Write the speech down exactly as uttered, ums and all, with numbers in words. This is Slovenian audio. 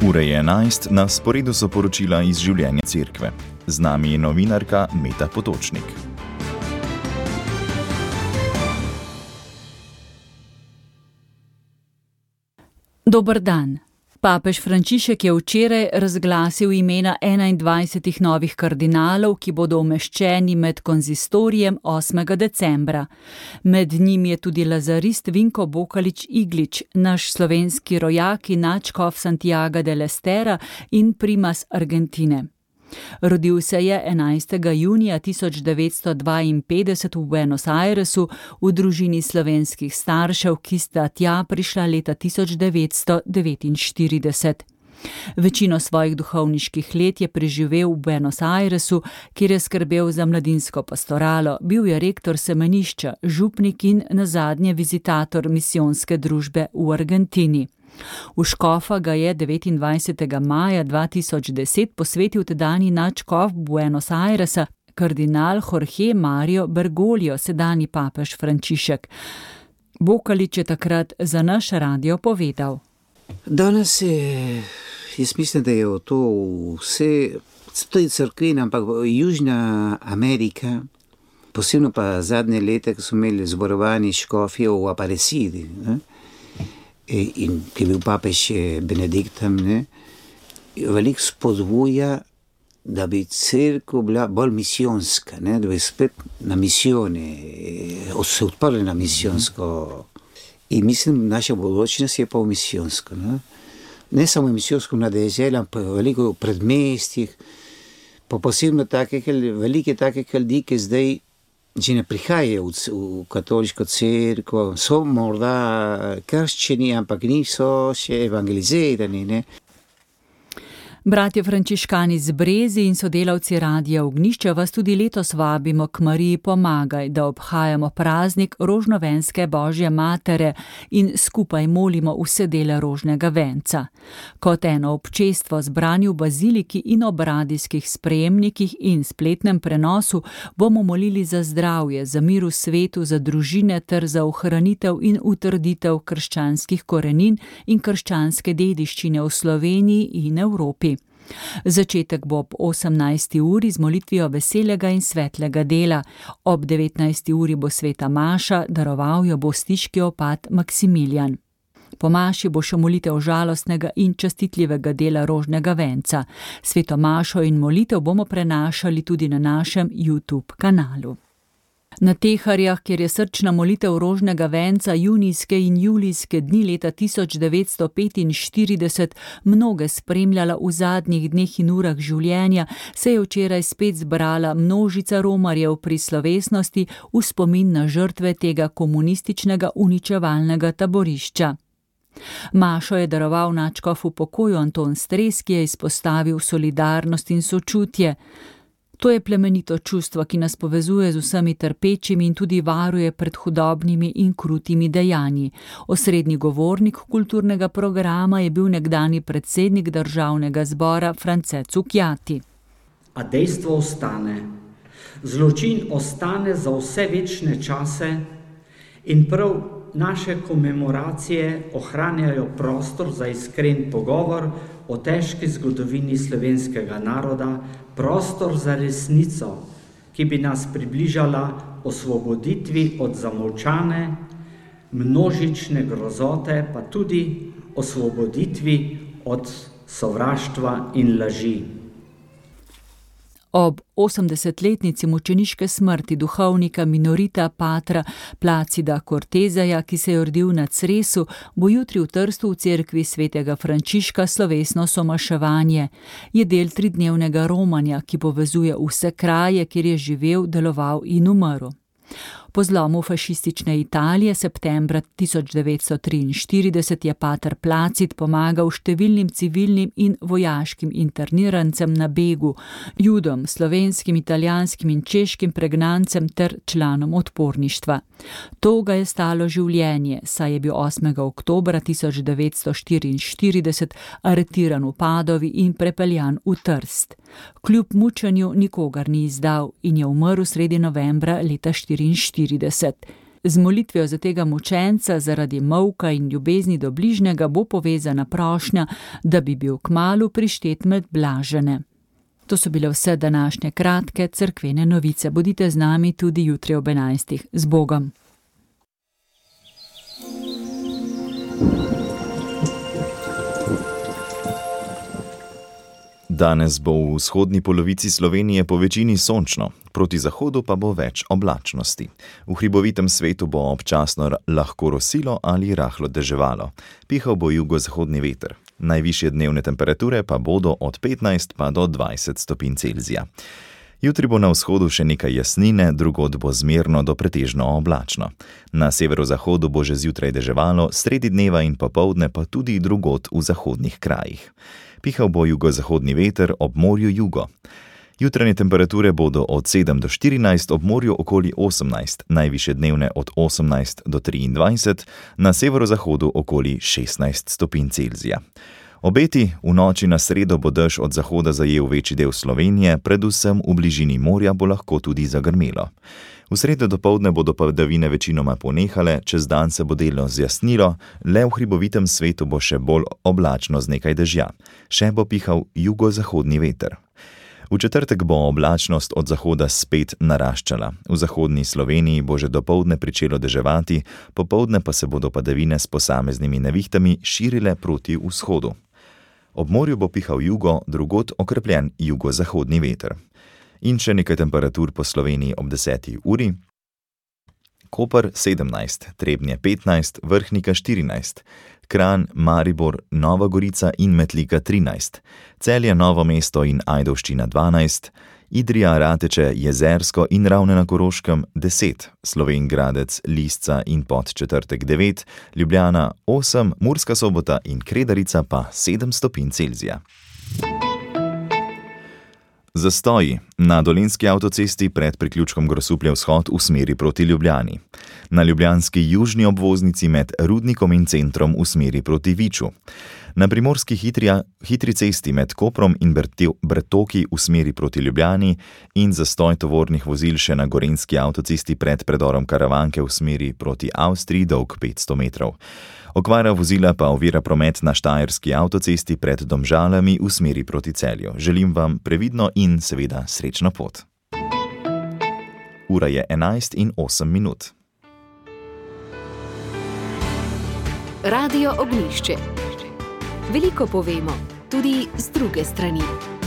Ura je enajst, na sporedu so poročila iz življenja cerkve. Z nami je novinarka Meta Potočnik. Dober dan. Papež Frančišek je včeraj razglasil imena enaindvajsetih novih kardinalov, ki bodo umeščeni med konzistorijem osmega decembra. Med njimi je tudi lazarist Vinko Bokalič Iglič, naš slovenski rojak in nadškof Santiaga del Estera in primas Argentine. Rodil se je enajstega junija tisoč devetsto dvainpetdeset v Buenos Airesu v družini slovenskih staršev, ki sta tja prišla leta tisoč devetsto devetinštirideset. Večino svojih duhovniških let je preživel v Buenos Airesu, kjer je skrbel za mladinsko pastoralo, bil je rektor semenišča, župnik in nazadnje vizitator misijonske družbe v Argentini. V škofa ga je devetindvajsetega maja dva tisoč deset posvetil tedanji nadškof Buenos Airesa, kardinal Jorge Mario Bergoglio, sedanji papež Frančišek. Bokalič je takrat za naš radio povedal. Danes je, jaz mislim, da je to vse, to je crkvena, ampak Južna Amerika, posebno pa zadnje leta, ko so imeli zborovanje škofje v Aparecidi, ne? In ki je bil papež Benedikt tam, ne, veliko spodbuja, da bi cerkev bila bolj misijonska, ne, da bi spet na misijone, se odprli na misijonsko. In mislim, naša bodočnost je pa v misijonsko. Ne, ne samo misijonsko na deželi, ampak veliko v predmestih, pa posebno takih, velike takih ljudi, ki zdaj že ne prihajajo v, v katoliško cerkev, so morda krščeni, ampak niso še evangelizirani, ne. Bratje frančiškani z Brezi in sodelavci Radia Ognjišče vas tudi letos vabimo k Mariji Pomagaj, da obhajamo praznik rožnovenske Božje matere in skupaj molimo vse dele rožnega venca. Kot eno občestvo zbrani v baziliki in ob radijskih sprejemnikih in spletnem prenosu bomo molili za zdravje, za mir v svetu, za družine ter za ohranitev in utrditev krščanskih korenin in krščanske dediščine v Sloveniji in Evropi. Začetek bo ob osemnajsti uri z molitvijo veselega in svetlega dela. Ob devetnajsti uri bo sveta maša, daroval jo bo stiški opat Maksimilijan. Po maši bo še molitev žalostnega in častitljivega dela rožnega venca. Sveto mašo in molitev bomo prenašali tudi na našem YouTube kanalu. Na Teharjah, kjer je srčna molitev rožnega venca junijske in julijske dni leta tisoč devetsto petinštirideset mnoge spremljala v zadnjih dneh in urah življenja, se je včeraj spet zbrala množica romarjev pri slovesnosti v spomin na žrtve tega komunističnega uničevalnega taborišča. Mašo je daroval nadškof v pokoju Anton Stres, ki je izpostavil solidarnost in sočutje. To je plemenito čustvo, ki nas povezuje z vsemi trpečimi in tudi varuje pred hudobnimi in krutimi dejanji. Osrednji govornik kulturnega programa je bil nekdanji predsednik državnega zbora France Cukjati. A dejstvo ostane. Zločin ostane za vse večne čase in prav naše komemoracije ohranjajo prostor za iskren pogovor o težki zgodovini slovenskega naroda, prostor za resnico, ki bi nas približala osvoboditvi od zamolčane, množične grozote, pa tudi osvoboditvi od sovraštva in laži. Ob osemdesetletnici mučeniške smrti duhovnika minorita patra Placida Cortezeja, ki se je rodil na Cresu, bo jutri v Trstu v cerkvi svetega Frančiška slovesno somaševanje. Je del tridnevnega romanja, ki povezuje vse kraje, kjer je živel, deloval in umrl. Po zlomu fašistične Italije septembra tisoč devetsto triinštirideset je pater Placid pomagal številnim civilnim in vojaškim internirancem na begu, Judom, slovenskim, italijanskim in češkim pregnancem ter članom odporništva. To ga je stalo življenje, saj je bil osmega oktobra tisoč devetsto štiriinštirideset aretiran v Padovi in prepeljan v Trst. Kljub mučenju nikogar ni izdal in je umrl sredi novembra leta štiriinštirideset. Z molitvijo za tega mučenca zaradi molka in ljubezni do bližnjega bo povezana prošnja, da bi bil kmalu prištet med blažene. To so bile vse današnje kratke cerkvene novice. Bodite z nami tudi jutri ob enajstih. Z Bogom! Danes bo v vzhodni polovici Slovenije po večini sončno, proti zahodu pa bo več oblačnosti. V hribovitem svetu bo občasno lahko rosilo ali rahlo deževalo. Pihal bo jugozahodni veter. Najvišje dnevne temperature pa bodo od petnajst pa do dvajset stopinj Celzija. Jutri bo na vzhodu še nekaj jasnine, drugod bo zmerno do pretežno oblačno. Na severozahodu bo že zjutraj deževalo, sredi dneva in popoldne pa tudi drugod v zahodnih krajih. Pihal bo jugozahodni veter, ob morju jugo. Jutranje temperature bodo od sedem do štirinajst, ob morju okoli osemnajst, najvišje dnevne od osemnajst do triindvajset, na severozahodu okoli šestnajst stopinj Celzija. Obeti: v noči na sredo bo dež od zahoda zajel večji del Slovenije, predvsem v bližini morja bo lahko tudi zagrmelo. V sredo dopoldne bodo padavine večinoma ponehale, čez dan se bo delno zjasnilo, le v hribovitem svetu bo še bolj oblačno z nekaj dežja. Še bo pihal jugozahodni veter. V četrtek bo oblačnost od zahoda spet naraščala. V zahodni Sloveniji bo že dopoldne pričelo deževati, popoldne pa se bodo padavine s posameznimi nevihtami širile proti vzhodu. Ob morju bo pihal jugo, drugod okrepljen jugozahodni veter. In še nekaj temperatur po Sloveniji ob deseti uri. Koper sedemnajst, Trebnje petnajst, Vrhnika štirinajst, Kranj, Maribor, Nova Gorica in Metlika trinajst, Celje, Novo mesto in Ajdovščina dvanajst, Idrija, Rateče, Jezersko in Ravne na Koroškem deset, Slovenj Gradec, Lisca in Podčetrtek devet, Ljubljana osem, Murska Sobota in Kredarica pa sedem stopinj Celzija. Zastoji na Dolenjski avtocesti pred priključkom Grosuplje vzhod v smeri proti Ljubljani. Na ljubljanski južni obvoznici med Rudnikom in centrom v smeri proti Viču. Na primorski hitrija, hitri cesti med Koprom in Brtoki v smeri proti Ljubljani in zastoj tovornih vozil še na Gorenjski avtocesti pred predorom Karavanke v smeri proti Avstriji dolg petsto metrov. Okvara vozila pa ovira promet na Štajerski avtocesti pred Domžalami v smeri proti Celju. Želim vam previdno in seveda srečno pot. Ura je enajst in osem minut. Radio Ognjišče. Veliko povemo, tudi z druge strani.